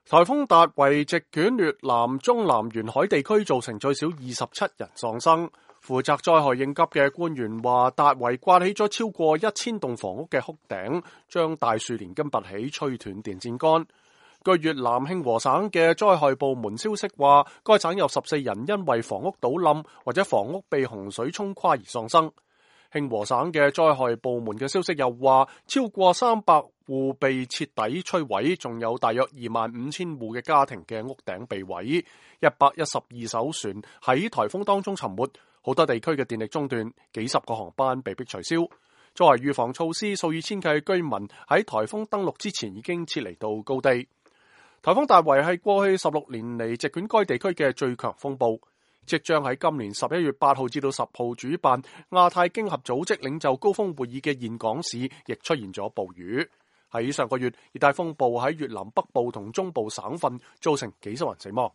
颱風達維席捲越南中南沿海地區，造成最少27人喪生。負責災害應急嘅官員話，達維颳起咗超過1000棟房屋嘅屋頂，將大樹連根拔起，吹斷電線桿。據越南慶和省嘅災害部門消息話，該省有14人因為房屋倒冧或者房屋被洪水沖垮而喪生。慶和省嘅災害部門嘅消息又話，超過300戶被徹底摧毀，仲有大約25000戶嘅家庭嘅屋頂被毀。112艘船喺颱風當中沉沒，好多地區嘅電力中斷，幾十個航班被迫取消。作為預防措施，數以千計居民喺颱風登陸之前已經撤離到高地。颱風達維係過去16年嚟席捲該地區嘅最強風暴。即將喺今年11月8號至到10號主辦亞太經合組織領袖高峰會議嘅峴港市亦出現咗暴雨。喺上個月，熱帶風暴喺越南北部同中部省份造成幾十人死亡。